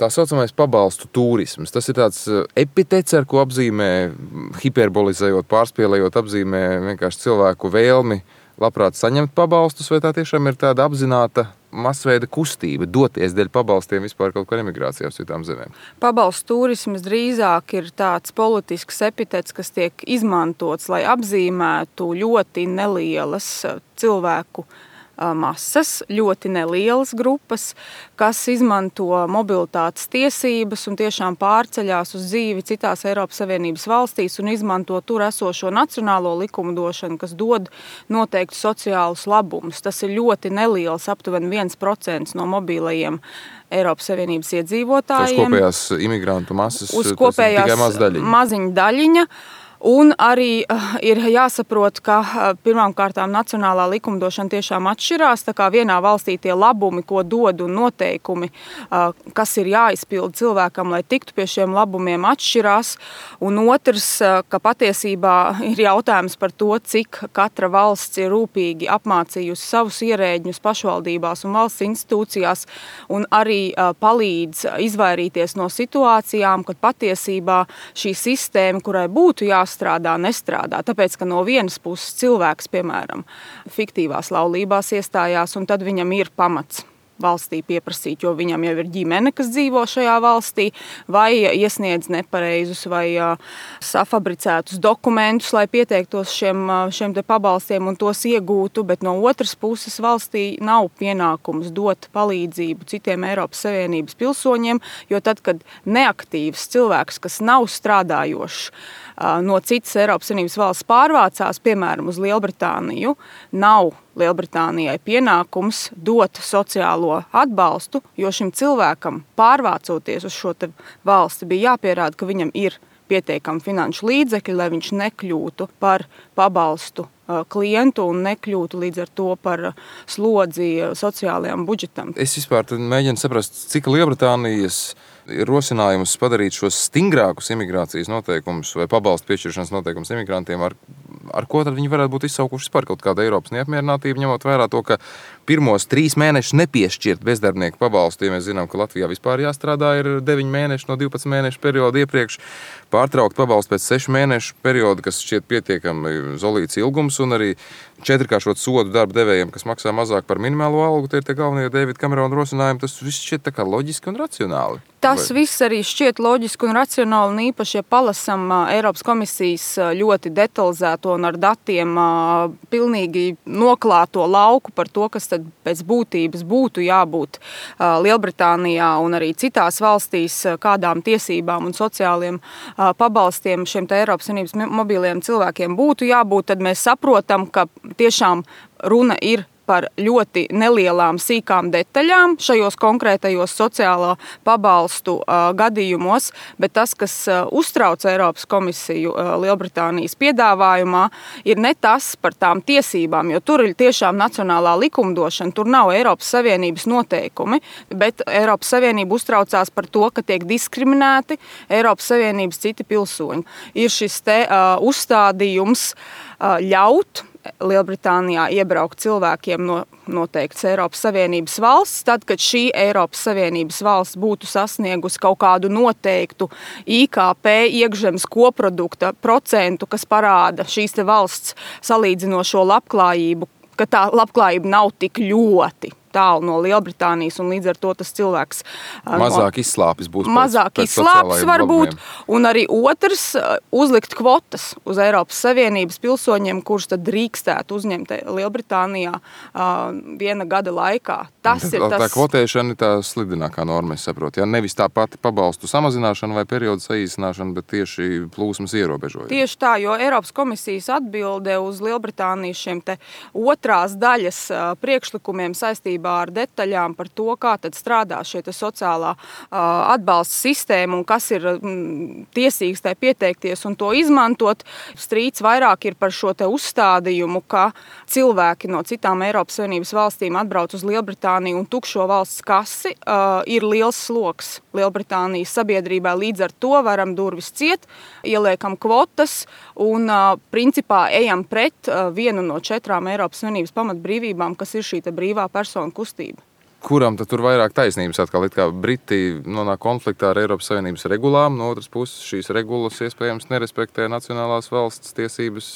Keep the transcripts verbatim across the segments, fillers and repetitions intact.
Tā saucamais pabalstu turisms. Tas ir tāds epitets, ar ko apzīmē, hiperbolizējot, pārspēlējot, apzīmē vienkārši cilvēku vēlmi labprāt saņemt pabalstus, vai tā tiešām ir tāda apzināta masveida kustība doties dēļ pabalstiem vispār kaut kur emigrācijā uz citām zemēm? Pabalstu turisms drīzāk ir tāds politisks epitets, kas tiek izmantots, lai apzīmētu ļoti nelielas cilvēku masas, ļoti nelielas grupas, kas izmanto mobilitātes tiesības un tiešām pārceļās uz dzīvi citās Eiropas Savienības valstīs un izmanto tur esošo nacionālo likumdošanu, kas dod noteikti sociālus labumus. Tas ir ļoti neliels, aptuveni viens procents no mobilajiem Eiropas Savienības iedzīvotājiem. Uz kopējās imigrantu masas, uz kopējās tikai maz daļiņa. maziņa daļiņa. Un arī uh, ir jāsaprot, ka uh, pirmām kārtām nacionālā likumdošana tiešām atšķirās. Tā kā vienā valstī tie labumi, ko dod un noteikumi, uh, kas ir jāizpilda cilvēkam, lai tiktu pie šiem labumiem, atšķirās. Un otrs, uh, ka patiesībā ir jautājums par to, cik katra valsts ir rūpīgi apmācījusi savus ierēģņus pašvaldībās un valsts institūcijās un arī uh, palīdz izvairīties no situācijām, kad patiesībā šī sistēma, kurai būtu jāsaka, strādā, nestrādā. Tāpēc, ka no vienas puses cilvēks, piemēram, fiktīvās laulībās iestājās, un tad viņam ir pamats valstī pieprasīt, jo viņam jau ir ģimene, kas dzīvo šajā valstī, vai iesniedz nepareizus vai safabricētus dokumentus, lai pieteiktos šiem, šiem te pabalstiem un tos iegūtu, bet no otras puses valstī nav pienākums dot palīdzību citiem Eiropas Savienības pilsoņiem, jo tad, kad neaktīvs cilvēks, kas nav strādājošs, no citas Eiropas Savienības valsts pārvācās, piemēram, uz Lielbritāniju, nav Lielbritānijai pienākums dot sociālo atbalstu, jo šim cilvēkam pārvācoties uz šo te valsti bija jāpierāda, ka viņam ir pietiekami finanšu līdzekļi, lai viņš nekļūtu par pabalstu klientu un nekļūtu līdz ar to par slodzi sociālajām budžetam. Es vispār mēģinu saprast, cik Lielbritānijas ir rosinājums padarīt šos stingrākus imigrācijas noteikumus vai pabalstu piešķiršanas noteikumus imigrantiem, ar, ar ko tad viņi varētu būt izsaukuši par kaut kādu Eiropas neapmierinātību, ņemot vērā to, ka pirmos trīs mēnešus nepiešķirt bezdarbnieku pabalstu, ja mēs zinām, ka Latvijā vispār jāstrādā ir deviņi mēneši no divpadsmit mēnešu perioda iepriekš, pārtraukt pabalstu pēc sešu mēnešu perioda, kas šķiet pietiekami zolīts ilgums, un arī četrkāršot sodu darba devējiem, kas maksā mazāk par minimālo algu, tie ir tie galvenie Davida Kamerona rosinājumi, tas viss šķiet tā kā loģiski un racionāli. Tas Vai? viss arī šķiet loģiski un racionāli, un īpaši, ja palasam Eiropas komisijas ļoti detalizēto un ar datiem pilnīgi noklāto lauku par to, kas tad pēc būtības būtu jābūt Lielbritānijā un arī citās valstīs, kādām tiesībām un sociāliem pabalstiem šiem te Eiropas Savienības mobiliem cilvēkiem būtu jābūt, tad mēs saprotam, ka tiešām runa ir par ļoti nelielām sīkām detaļām šajos konkrētajos sociālo pabalstu uh, gadījumos, bet tas, kas uh, uztrauc Eiropas komisiju uh, Lielbritānijas piedāvājumā, ir ne tas par tām tiesībām, jo tur ir tiešām nacionālā likumdošana, tur nav Eiropas Savienības noteikumi, bet Eiropas Savienība uztraucās par to, ka tiek diskriminēti Eiropas Savienības citi pilsoņi. Ir šis te uh, uzstādījums uh, ļaut Lielbritānijā iebraukt cilvēkiem no noteikts Eiropas Savienības valsts, tad, kad šī Eiropas Savienības valsts būtu sasniegusi kaut kādu noteiktu I K P iekšzemes koprodukta procentu, kas parāda šīs te valsts salīdzinošo labklājību, ka tā labklājība nav tik ļoti tālu no Lielbritānijas, un līdz ar to tas cilvēks mazāk no, izslāpis būs pēc, mazāk pēc izslāpis varbūt, un arī otrs uzlikt kvotas uz Eiropas Savienības pilsoņiem, kurus tad drīkstētu uzņemt Lielbritānijā uh, viena gada laikā. Tas tā, ir tas... tā kvotēšana ir tā slidinākā norma, es saprotu. Ja? Nevis tā pati pabalstu samazināšana vai periodu saīsināšana, bet tieši plūsmas ierobežojumi. Tieši tā, jo Eiropas komisijas atbilde uz Lielbritānijas šiem te otrās daļas uh, priekšlikumiem saistībā ar detaļām par to, kā tad strādā šie te sociālā uh, atbalsta sistēma un kas ir mm, tiesīgs tai pieteikties un to izmantot. Strīds vairāk ir par šo te uzstādījumu, ka cilvēki no citām Eiropas Savienības valstīm atbrauc uz Lielbritāniju un tukšo valsts kasi uh, ir liels sloks Lielbritānijas sabiedrībai. Līdz ar to varam durvis ciet, ieliekam kvotas un uh, principā ejam pret uh, vienu no četrām Eiropas Savienības pamatbrīvībām, kas ir šī te brīvā persona kustība. kuram tad tur vairāk taisnības atkal? It kā Briti nonāk konfliktā ar Eiropas Savienības regulām, no otras puses šīs regulas iespējams nerespektē nacionālās valsts tiesības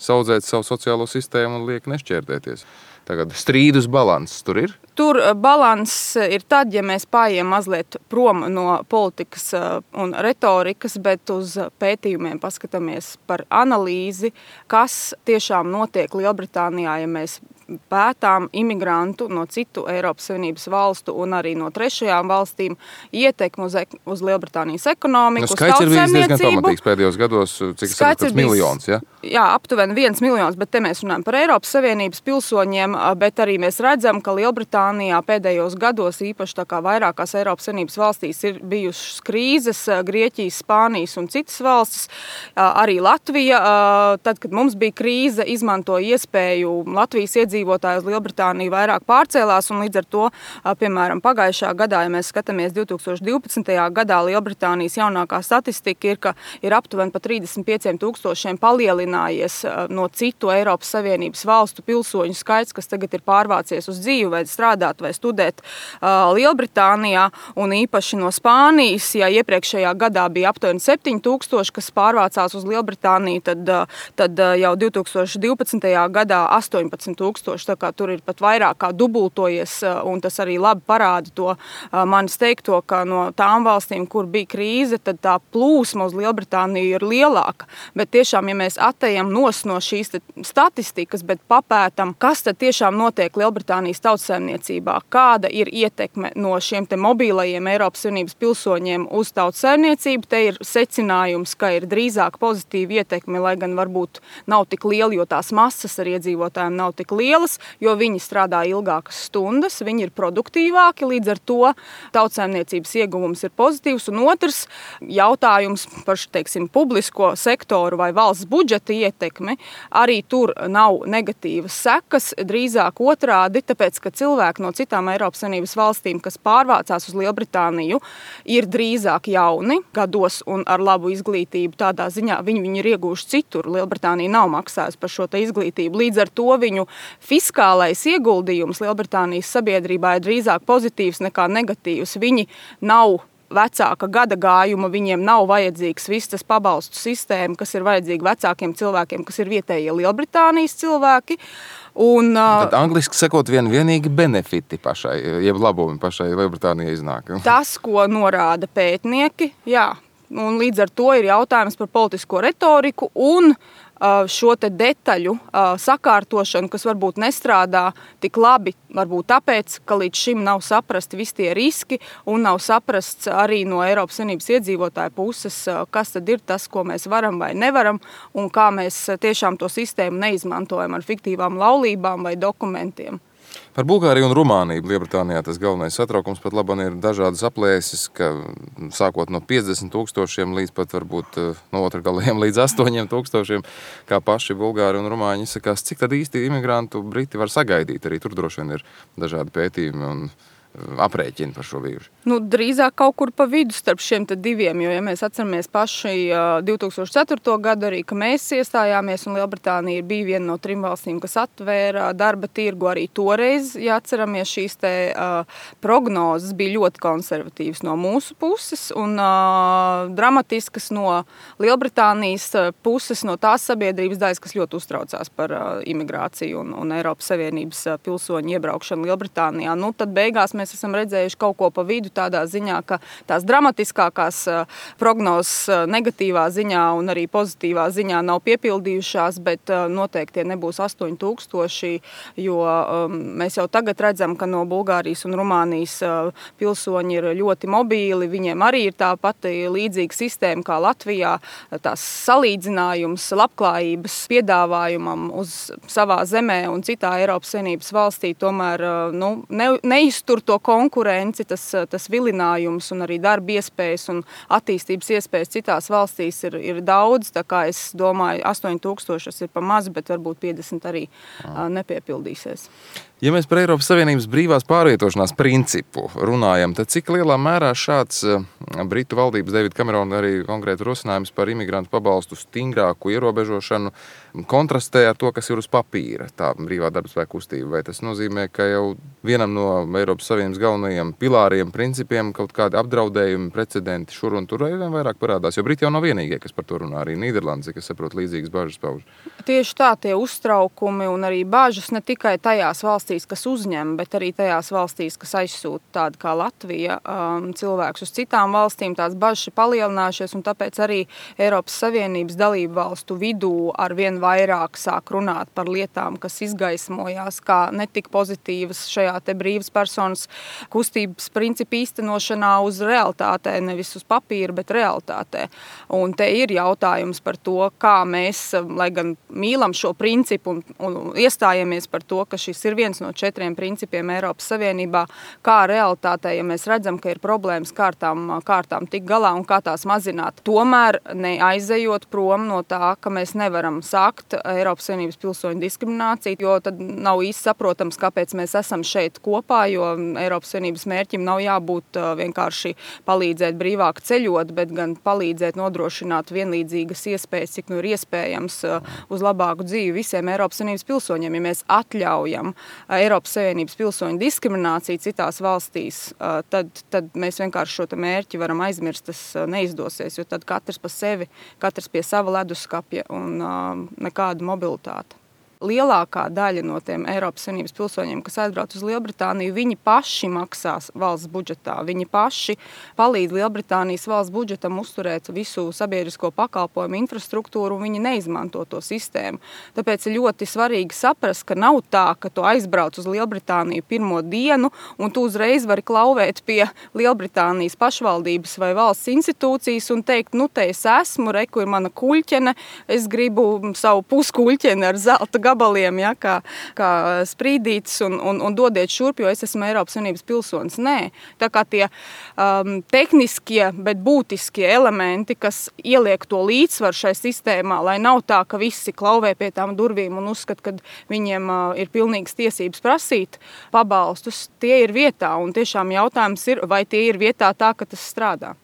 saudzēt savu sociālo sistēmu un liek nešķērdēties. Tagad strīdus balanss tur ir? Tur balanss ir tad, ja mēs paiem mazliet prom no politikas un retorikas, bet uz pētījumiem paskatāmies par analīzi, kas tiešām notiek Lielbritānijā, ja mēs pētām imigrantu no citu Eiropas Savienības valstu un arī no trešajām valstīm ietekmi uz, uz Lielbritānijas ekonomiku, nu, skaits ir bijis diezgan pamatīgs pēdējos gados, cik saprotas miljons, ja? Jā, aptuveni viens miljons, bet te mēs runājam par Eiropas Savienības pilsoņiem, bet arī mēs redzam, ka Lielbritānijā pēdējos gados, īpaši tā kā vairākās Eiropas Savienības valstīs, ir bijušas krīzes, Grieķijas, Spānijas un citas valstis, arī Latvija. Tad, kad mums bija krīze, izmantoja iespēju Latvijas iedzīvotāji uz Lielbritāniju vairāk pārcēlās, un līdz ar to, piemēram, pagājušā gadā, ja mēs skatāmies divi tūkstoši divpadsmitajā gadā, Lielbritānijas jaunākā statistika ir, ka ir aptuveni pa trīsdesmit pieciem tūkstošiem palielinājies no citu Eiropas Savienības valstu pilsoņu skaits, kas tagad ir pārvācies uz dzīvi vai strādāt vai studēt Lielbritānijā, un īpaši no Spānijas, ja iepriekšējā gadā bija aptuveni septiņi tūkstoši, kas pārvācās uz Lielbritāniju, tad, tad jau divi tūkstoši divpadsmitajā gadā astoņpadsmit tūkstoši, tā kā tur ir pat vairāk kā dubultojies, un tas arī labi parāda to manis teikto, ka no tām valstīm, kur bija krīze, tad tā plūsma uz Lielbritāniju ir lielāka, bet tiešām, ja mēs atejam nos no šīs statistikas, bet papētam, kas tad tiešām notiek Lielbritānijas tautsaimniecībā, kāda ir ietekme no šiem te mobīlajiem Eiropas Savienības pilsoņiem uz tautsaimniecību, te ir secinājums, ka ir drīzāk pozitīva ietekme, lai gan varbūt nav tik liela, jo tās masas ar iedzīvotājiem nav tik lielas, jo viņi strādā ilgākas stundas, viņi ir produktīvāki, līdz ar to tautsaimniecības ieguvums ir pozitīvs, un otrs jautājums par, teiksim, publisko sektoru vai valsts budžeta ietekmi, arī tur nav negatīvas sekas, drīzāk otrādi, tāpēc, ka cilvēki no citām Eiropas Savienības valstīm, kas pārvācās uz Lielbritāniju, ir drīzāk jauni gados un ar labu izglītību. Tādā ziņā viņi, viņi ir iegūši citur. Lielbritānija nav maksājusi par šo te izglītību. Līdz ar to viņu fiskālais ieguldījums Lielbritānijas sabiedrībā ir drīzāk pozitīvs nekā negatīvs. Viņi nav vecāka gada gājuma, viņiem nav vajadzīgs viss tas pabalstu sistēma, kas ir vajadzīga vecākiem cilvēkiem, kas ir vietējie Lielbritānijas cilvēki. Un, tad angliski sakot, vien vienīgi benefiti pašai, jeb labumi pašai Lielbritānijai iznāk. Tas, ko norāda pētnieki, jā. Un līdz ar to ir jautājums par politisko retoriku un šo te detaļu sakārtošanu, kas varbūt nestrādā tik labi, varbūt tāpēc, ka līdz šim nav saprasti visi tie riski un nav saprasts arī no Eiropas Savienības iedzīvotāju puses, kas tad ir tas, ko mēs varam vai nevaram un kā mēs tiešām to sistēmu neizmantojam ar fiktīvām laulībām vai dokumentiem. Par Bulgāriju un Rumāniju Lielbritānijā tas galvenais satraukums pat labam ir dažādas aplēses, ka sākot no piecdesmit tūkstošiem līdz pat varbūt no otra galiem līdz astoņiem tūkstošiem, kā paši Bulgāri un Rumāņi izsakās, cik tad īsti imigrantu Briti var sagaidīt. Arī tur droši vien ir dažādi pētījumi un aprēķini par šo vīrusu. Nu, drīzāk kaut kur pa vidu starp šiem te diviem, jo, ja mēs atceramies paši divi tūkstoši ceturto gadu arī, ka mēs iestājāmies un Lielbritānija bija viena no trim valstīm, kas atvēra darba tirgu arī toreiz, ja atceramies šīs te uh, prognozes bija ļoti konservatīvas no mūsu puses un uh, dramatiskas no Lielbritānijas puses, no tās sabiedrības daļas, kas ļoti uztraucās par uh, imigrāciju un, un Eiropas Savienības uh, pilsoņu iebraukšanu Lielbritānijā. Nu, tad beigās mēs esam redzējuši kaut ko pa vidu tādā ziņā, ka tās dramatiskākās prognozes negatīvā ziņā un arī pozitīvā ziņā nav piepildījušās, bet noteikti tie nebūs astoņi tūkstoši, jo um, mēs jau tagad redzam, ka no Bulgārijas un Rumānijas uh, pilsoņi ir ļoti mobīli, viņiem arī ir tā pati līdzīga sistēma kā Latvijā, tās salīdzinājums labklājības piedāvājumam uz savā zemē un citā Eiropas Savienības valstī tomēr uh, nu, ne, neiztur to konkurenci, tas, tas vilinājums un arī darba iespējas un attīstības iespējas citās valstīs ir, ir daudz, tā kā es domāju, astoņi tūkstoši ir pa maz, bet varbūt piecdesmit arī uh, nepiepildīsies. Ja mēs par Eiropas Savienības brīvās pārvietošanās principu runājam, tad cik lielā mērā šāds Britu valdības Davida Kamerona arī konkrēti rosinājums par imigrantu pabalstu stingrāku ierobežošanu kontrastē ar to, kas ir uz papīra, tā brīvā darbspēka kustība. Vai tas nozīmē, ka jau vienam no Eiropas Savienības galvenajiem pilāriem, principiem kaut kādi apdraudējumi, precedenti šur un tur vien vairāk parādās? Jo Briti jau nav vienīgie, kas par to runā, arī Nīderlandi, kas saprot līdzīgas bažas pauž. Tieši tā, tie uztraukumi un arī bažas ne tikai tajās valstīs, kas uzņem, bet arī tajās valstīs, kas aizsūta tāda kā Latvija, um, cilvēkus uz citām valstīm, tās bažas ir palielinājušies, un tāpēc arī Eiropas Savienības dalību valstu vidū ar vien vairāk sāk runāt par lietām, kas izgaismojās kā netik pozitīvas šajā te brīvas personas kustības principu īstenošanā uz realitātē, nevis uz papīra, bet realitātē. Un te ir jautājums par to, kā mēs, lai gan mīlam šo principu un, un iestājamies par to, ka šis ir viens no četriem principiem Eiropas Savienībā, kā realitātē, ja mēs redzam, ka ir problēmas kārtām, kārtām tik galā un kā tās mazināt. Tomēr neaizejot prom no tā, ka mēs nevaram sākt Eiropas Savienības pilsoņu diskrimināciju, jo tad nav īsti saprotams, kāpēc mēs esam šeit kopā, jo Eiropas Savienības mērķim nav jābūt vienkārši palīdzēt brīvāk ceļot, bet gan palīdzēt nodrošināt vienlīdzīgas iespējas, cik nu ir iespējams uz labāku dzīvi visiem Eiropas Savienības pilsoņiem. Ja mēs atļaujam Eiropas Savienības pilsoņu diskrimināciju citās valstīs, tad, tad mēs vienkārši šo mērķi varam aizmirst, tas neizdosies, jo tad katrs pa sevi, katrs pie sava leduskapja un nekāda mobilitāte. Lielākā daļa no tiem Eiropas Savienības pilsoņiem, kas aizbrauc uz Lielbritāniju, viņi paši maksās valsts budžetā. Viņi paši palīdz Lielbritānijas valsts budžetam uzturēt visu sabiedrisko pakalpojumu infrastruktūru, un viņi neizmanto to sistēmu. Tāpēc ir ļoti svarīgi saprast, ka nav tā, ka tu aizbrauc uz Lielbritāniju pirmo dienu, un tu uzreiz vari klauvēt pie Lielbritānijas pašvaldības vai valsts institūcijas un teikt, nu te es esmu, reku ir mana kuļķene, es gribu savu puskuļķeni ar zelta gabaliem, ja, kā, kā sprīdītis un, un, un dodiet šurp, jo es esmu Eiropas Savienības pilsonis. Nē, tā kā tie um, tehniskie, bet būtiskie elementi, kas ieliek to līdzsvaru šai sistēmā, lai nav tā, ka visi klauvē pie tām durvīm un uzskat, ka viņiem uh, ir pilnīgas tiesības prasīt pabalstus, tie ir vietā, un tiešām jautājums ir, vai tie ir vietā tā, ka tas strādā.